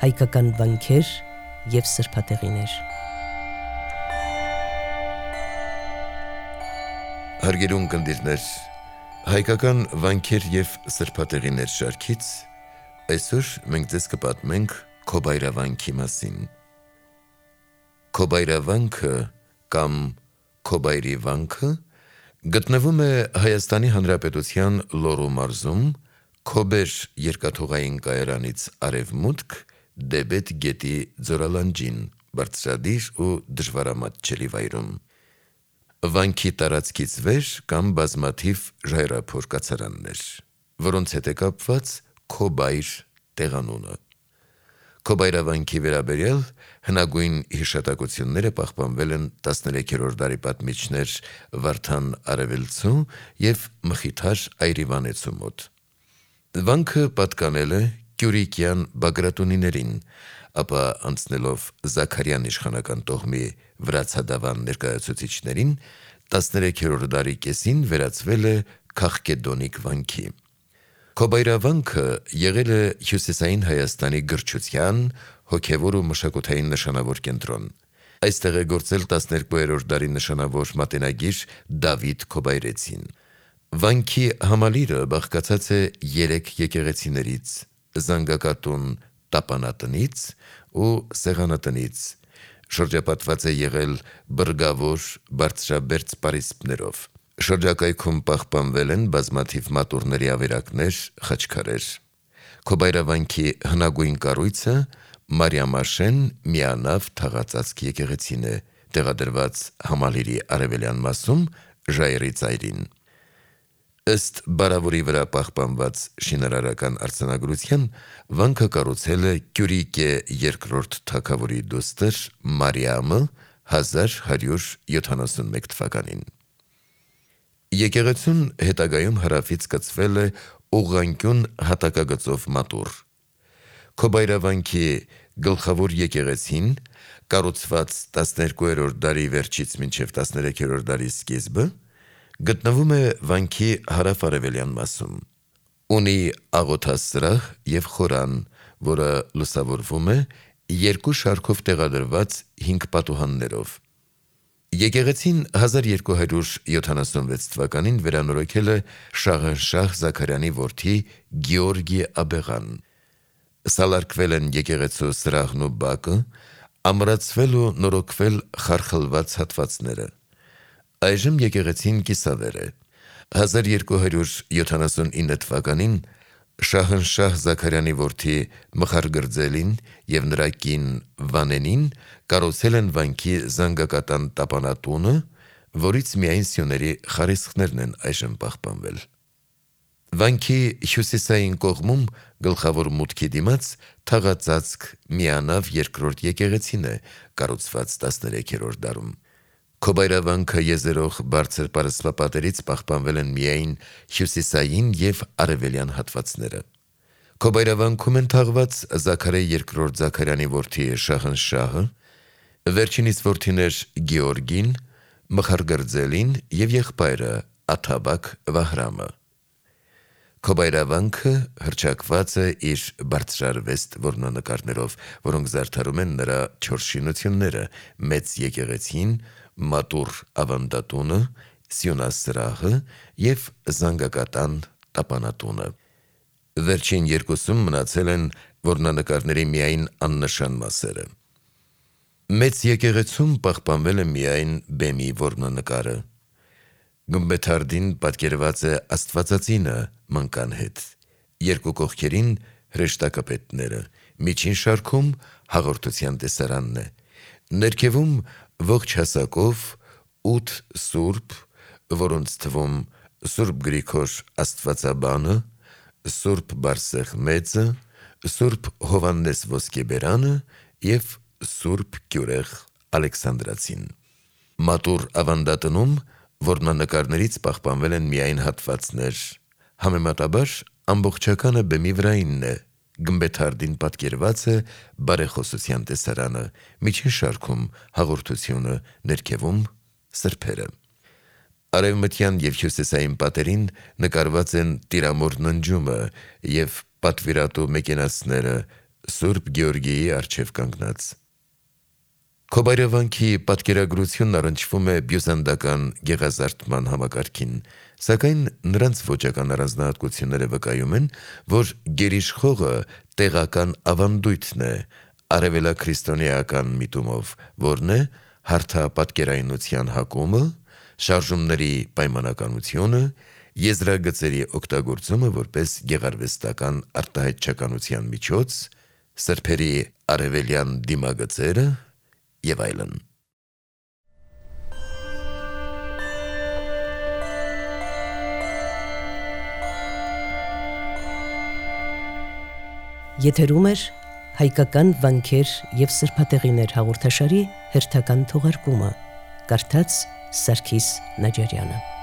հայկական վանքեր և սրբատեղիներ։ Հարգելուն կնդիրներ, հայկական վանքեր և սրբատեղիներ շարքից այսօր մենք ձեզ կպատմենք Քոբայրավանքի մասին։ Քոբայրավանքը կամ Քոբայրի վանքը գտնվում է Հայաստանի Հանրապետության Լոռու մարզում Քոբեր երկաթուղային կայարանից արևմուտք Դեբետ գետի ձորալանջին, բարձրադիր ու դժվարամատչելի վայրում։ Վանքի տարածքից վեր կան բազմաթիվ ժայռափոր կացարաններ, որոնց հետ է կապված Քոբայր տեղանունը։ Քոբայրավանքի վերաբերյալ հնագույն հիշատակությունները պահպանվել են 13-րդ դարի պատմիչներ Վարդան Արևելցու և Մխիթար Այրիվանեցու մոտ։ Վանքը պատկանել է Կյուրիկյան Բագրատունիներին, ապա անցնելով Զաքարյան իշխանական տոհմի վրացադավան ներկայացուցիչներին 13-րդ դարի կեսին վերածվել է Քաղկեդոնիկ վանքի։ Քոբայրավանքը եղել է հյուսիսային Հայաստանի գրչության, հոգևոր ու մշակութային նշանավոր կենտրոն։ Այստեղ է գործել 12-րդ դարի նշանավոր մատենագիր Դավիթ Քոբայրեցին։ Վանքի համալիրը բաղկացած է 3 եկեղեցիներից՝ զանգակատուն տապանատնից ու սեղանատնից, շրջապատված է եղել բրգավոր բարձրաբերձ պարիսպներով։ Շրջակայքում պահպանվել են բազմաթիվ մատուռների ավերակներ, խաչքարեր։ Քոբայրավանքի հնագույն կառույցը Մարիամաշեն միանավ թաղածածկ եկեղեցին է, տեղադրված համալիրի արևելյան մասում ժայռի ծայրին։ Ըստ բարավորի վրա պահպանված շինարարական արձանագրության, վանքը կառուցել է Կյուրիկե II թագավորի դուստր Մարիամը 1171 թվականին։ Եկեղեցուն հետագայում հարավից կցվել է ուղղանկյուն հատակագծով մատուռ։ Քոբայրավանքի գլխավոր եկեղեցին, կառուցված 12-րդ դարի վերջից մինչև 13-րդ դարի սկիզբը, գտնվում է վանքի հարավ-արևելյան մասում։ Ունի աղոթասրահ և խորան, որը լուսավորվում է 2 շարքով տեղադրված 5 պատուհաններով։ Եկեղեցին 1276 թվականին վերանորոգել է Շահնշահ Զաքարյանի որդի Գեորգի Աբեղան։ Սալարկվել են եկեղեցու սրահն ու բակը, ամրացվել ու նորոգվել խարխլված հատվածները։ Այժմ եկեղեցին կիսավեր է։ 1279 թվականին Շահնշահ Զաքարյանի որդի Մխարգրձելին և նրա կին Վանենին կառուցել են վանքի զանգակատան տապանատունը, որից միայն սյուների խարիսխներն են այժմ պահպանվել։ Վանքի հյուսիսային կողմում գլխավոր մուտքի դիմաց թաղածածկ միանավ երկրորդ եկեղեցին է, կառուցված 13-րդ դարում։ Քոբայրավանքը եզերող բարձր պարսպապատերից պահպանվել են միայն հյուսիսային և արևելյան հատվածները։ Քոբայրավանքում են թաղված Զաքարե II Զաքարյանի որդի Շահնշահը, վերջինիս որդիներ Գեորգին, Մխարգրձելին և եղբայրը Աթաբակ Վահրամը։ Քոբայրավանքը հռչակված է իր բարձրարվեստ որմնանկարներով, որոնք զարդարում են նրա 4 շինությունները՝ մեծ եկեղեցին, մատուռ ավանդատունը, սյունասրահը և զանգակատան տապանատունը։ Վերջին երկուսում մնացել են որմնանկարների միայն աննշան մասերը։ Մեծ եկեղեցում պահպանվել է միայն բեմի որմնանկարը։ Գմբեթարդին պատկերված է Աստվածածինը մնկան հետ, 2 կողքերին հրեշտակապետները, միջին շարքում հաղորդության տեսարանն է, ներքևում ողջ հասակով 8 սուրբ, որոնց թվում Սուրբ Գրիգոր Աստվածաբանը, Սուրբ Բարսեղ Մեծը, Սուրբ Հովհաննես Ոսկեբերանը և Սուրբ Գյուրեղ Ալեքսանդրացին։ Մատուռ ավանդատնում որմնանկարներից պահպանվել են միայն հատվածներ, համեմատաբար ամբողջականը բեմի վրայինն է, գմբեթարդին պատկերված է բարեխոսության տեսարանը, միջին շարքում հաղորդությունը, ներքևում սրբերը։ Արևմտյան և հյուսիսային պատերին նկարված են տիրամոր ննջումը և պատվիրատու մեկենասները, Սուրբ Գեորգիի առջև կանգնած։ Քոբարևանքի պատկերագրությունն առնչվում է բյուզանդական գեղազարդման համակարգին, սակայն նրանց ոճական առանձնահատկությունները վկայում են, որ գերիշխողը տեղական ավանդույթն է, արևելաքրիստոնեական միտումով, որն է հարթապատկերայնության հակումը, շարժումների պայմանականությունը, եզրագծերի օգտագործումը որպես գեղարվեստական արտահայտչականության միջոց, սրբերի արևելյան դիմագծերը եւ այլն։ Եթերում է հայկական վանքեր եւ սրբատեղիներ հաղորդաշարի հերթական թողարկումը։ Կարդաց Սարգիս Նաջարյանը։